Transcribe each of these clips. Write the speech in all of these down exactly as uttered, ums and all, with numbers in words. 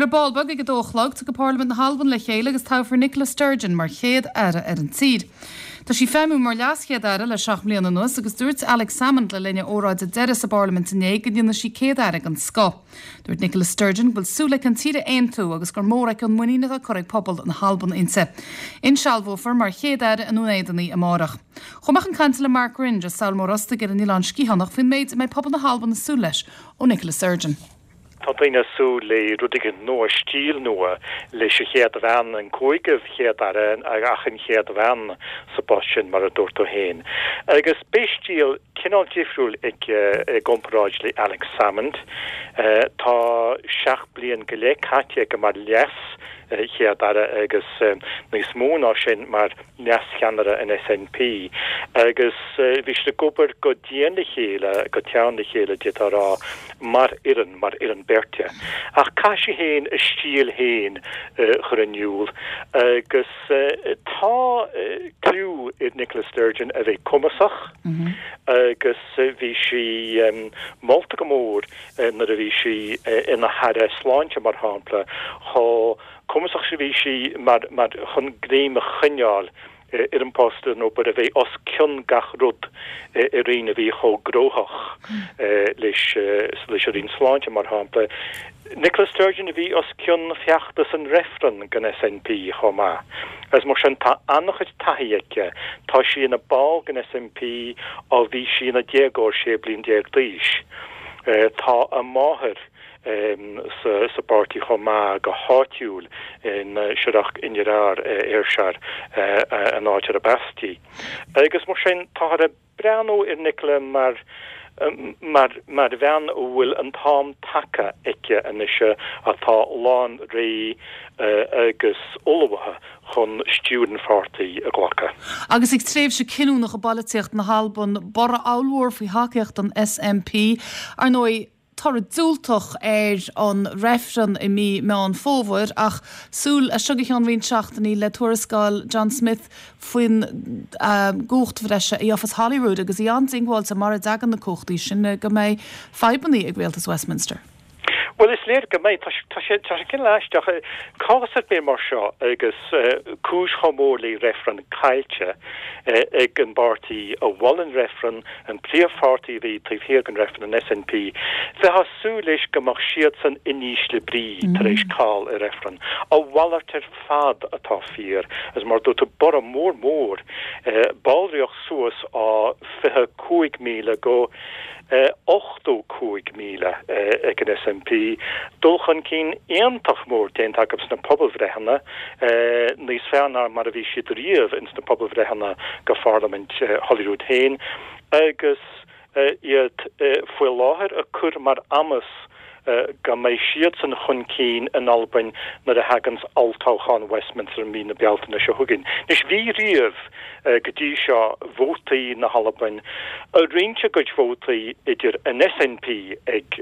Well ar ball beag ag a dó a chlog tiocfaidh Parlaimint na hAlban le chéile agus toghfar Nicola Sturgeon mar chéad aire ar an tír. Tá sí ag feidhmiú mar leaschéad aire le seacht mbliana anuas agus dúirt Alex Salmond le linn a óráide deiridh sa bParlaimint inné go ndéanfaidh sí céad aire den scoth. Dúirt Nicola Sturgeon go bhfuil súil aici an tír a aontú agus gur mór aici an muinín atá curtha ag pobal na hAlban inti. Insealbhófar mar chéad aire i nDún Éideann í amárach. Chuaigh mé chun cainte le Mark Ringe as Sabhal Mór Ostaig ar an Oileán Sciathánach faoin méid a mbeidh pobal na hAlban ag súil leis ó Nicola Sturgeon. Tá daoine ag súil le rud éigin nua stíl nua leis an chéad bhean an cúigiú chéad aire ach an chéad bhean sa bpost sin mar a dúirt tú féin. Agus beidh stíl cineál difriúil aici i gcomparáid le Alex Salmond. Tá seacht bliain go leith caite aici mar leas chéad aire agus níos mó ná sin mar leascheannaire an SNP agus bhí siad ag obair go dian le chéile go teann le chéile d'fhéadfá a rá mar fhoireann mar fhoireann beirte. Ach caithfidh sí féin a stíl féin chur in iúl agus tá clú ar Nicola Sturgeon a bheith cumasach agus bhí sí molta go mór nuair a bhí sí ina haire sláinte mar shampla chomh cumasach is a bhí sí mar mar chun greim a choinneáil ar an post nó bar a bheith os cionn gach rud i roinn a bhí chomh gnóthach leis leis an roinn sláinte mar shampla. Nicola Sturgeon a bhí os cionn feachtas an reifreann don SNP chomh maith. Agus mar sin tá an-chuid taithí aici, tá sí ina ball den SNP ó bhí sí ina déagóir sé bliain déag d'aois. Tá a máthair sa sa bpáirtí chomh maith go háitiúil in Siorrachd Inbhir Ayrshire an áit arb as di. Agus mar sin táthar ag breathnú ar Nicola mar mar mar bhean a bhfuil an t-am tagtha aici anois atá lán réidh agus ullmhaithe chun stiúir an pháirtí a ghlacadh. Agus ag tréimhse cinniúnach i bpolaitíocht na hAlban borradh ollmhór faoi thacaíocht an SNP ar ndóigh toradh diúltach ar an reifreann i mí Meán Fómhair ach súil as seo go ceann roinnt seachtainí le tuarascáil John Smith faoin gcumhacht bhreise a gheofas Holyrood agus í an-diongbháilte mura dtagann na cumhachtaí sin go mbeidh fadhbanna ag rialtas Westminster. Well is léir go mbeidh tá sé tá sé cineál aisteach cás ar bith mar seo agus cúis chomh mór le reifreann caillte ag an bpáirtí a mhol an reifreann an príomhpháirtí a bhí taobh thiar den reifreann an SNP bheifeá ag súil leis go mbeadh siadsan in ísle brí tar éis caill i reifreann. A mhalairt ar fad atá fíor agus mar dúirt tú borradh mór mór ballraíocht suas ó fiche cúig míle go ochtó cúig míle ag an SNP, dul chun cinn iontach mór déanta acu sna pobalbhreitheanna níos fearr ná mar a bhí siad riamh ins na pobalbhreitheanna go Pharlaimint Holyrood féin agus iad faoi láthair á cur mar amas go mbeidh siadsan chun cinn in Albain nuair a thaganns olltoghchán Westminster mí na Bealtaine seo chugainn. Anois bhí riamh go dtí seo vótaí na hAlban a roinnt a gcuid vótaí idir an SNP ag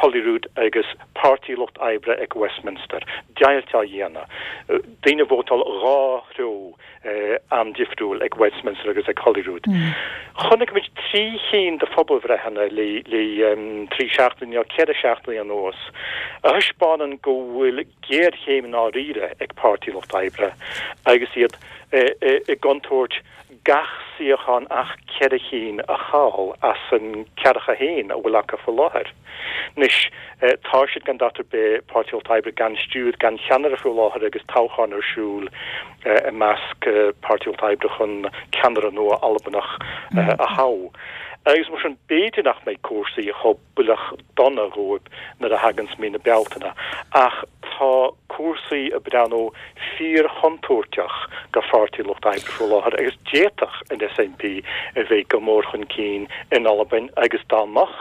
Holyrood agus Páirtí Lucht Oibre ag Westminster. Deighilt á dhéanamh. Daoine ag vótáil dhá threo an-difriúil ag Westminster agus ag Holyrood. Chonaic muid trí chinn de phobalbhreitheanna le le trí seachtaine nó ceithre seachtaine anuas a thaispeánann go bhfuil géarchéim ndáiríre ag Páirtí Lucht Oibre agus iad i gcontúirt gach suíochán ach ceithre cinn a chaill as an ceathracha haon a bhfuil acu faoi láthair. Anois tá siad gan dabht ar bith Páirtí Lucht Oibre gan stiúir gan cheannaire faoi láthair agus toghchán ar siúl i measc Páirtí Lucht Oibre chun ceannaire nua Albanach a thoghadh. Agus mar sin b'fhéidir nach mbeidh cúrsaí chomh builleach dona dhóibh nuair a thaganns mí na Bealtaine ach tá cúrsaí ag breathnú fíorchontúirteach go Pháirtí Lucht Oibre faoi láthair agus d'fhéadfadh an SNP a bheith go mór chun cinn in Albain agus dá mbeadh,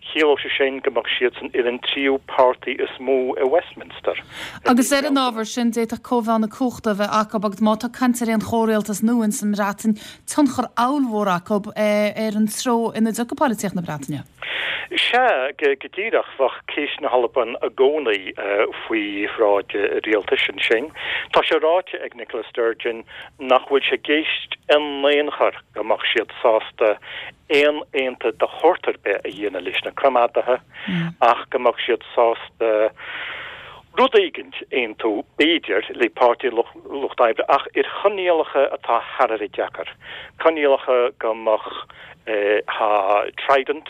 chiallódh sé sin go mbeadh siadsan ar an tríú páirtí is mó i Westminster. Agus ar an ábhar sin d'fhéadfadh cóimheá na cumhachta a bheith acu agus má tá caint ar aon chomhrialtas nua ins an mBreatain, tionchar ollmhór acu ar an treo ina dtiocfaidh polaitíocht na Breataine. Sea, go díreach, bheadh ceist na hAlban i gcónaí faoi bhráid rialtais ansin. Tá sé ráite ag Nicola Sturgeon nach bhfuil sé i gceist in aon chor go mbeadh siad sásta aon aontú de shórt ar bith a dhéanamh leis na coimeádaithe ach go mbeadh siad sásta rud éigint aontú b'fhéidir le Páirtí Lucht Oibre ach ar choinníollacha atá thar a bheith deacair. Coinníollacha go mbeadh ha Trident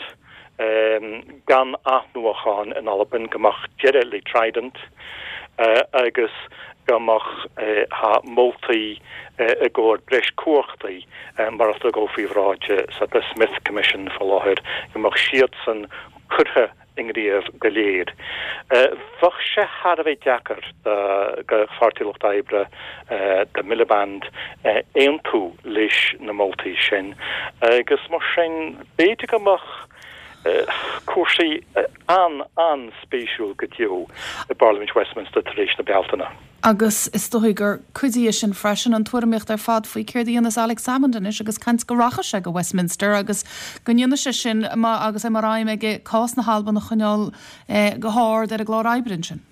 gan athnuachan in Albain go mbeadh deireadh le Trident agus go mbeadh ha moltaí i gcomhair breis cumhachtaí mar atá ag dul faoi bhráid sa The Smith Commission faoi láthair go mbeadh siadsan curtha i ngníomh go léir. Bheadh sé thar a bheith deacair do Pháirtí Lucht Oibre do Miliband aontú leis na moltaí sin agus mar sin b'fhéidir go mbeadh cúrsaí an-an-spéisiúil go deo i bParlaimint Westminster tar éis na Bealtaine. Agus is dóigh gur cuid de sin freisin an tuairimíocht ar fad faoi céard a dhéanfas Alex Salmond anois agus caint go rachadh sé go Westminster agus go ndéanfaidh sé sin agus é mar aidhm aige cás na hAlban a choinneáil eh, go hard ar an gclár oibre ansin.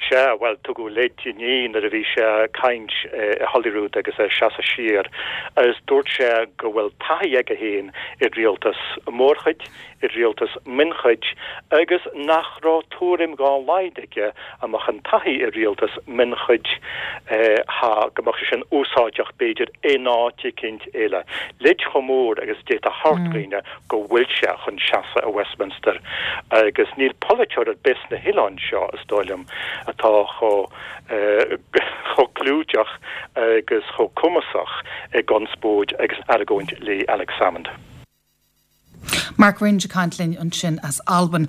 Sea well tugadh leid inné nuair a bhí sé ag caint i Holyrood agus é seasamh siar agus dúirt sé go bhfuil taithí aige féin i rialtas mórchuid, i rialtas mionchuid agus nach raibh tuairim dá laghad aige a mbeadh an taithí i rialtas mionchuid ha go mbeadh sé sin úsáideach b'fhéidir in áit éicint eile. Leid chomh mór agus d'fhéadfá a thabhairt dhaoine go bhfuil sé chun seasamh i Westminster agus níl polaiteoir ar bith sna hoileáin seo is dóigh liom atá chomh chomh clúiteach agus chomh cumasach i gconspóid agus argóint le Alex Salmond. Mark Ringe ag caint linn ansin as Albain.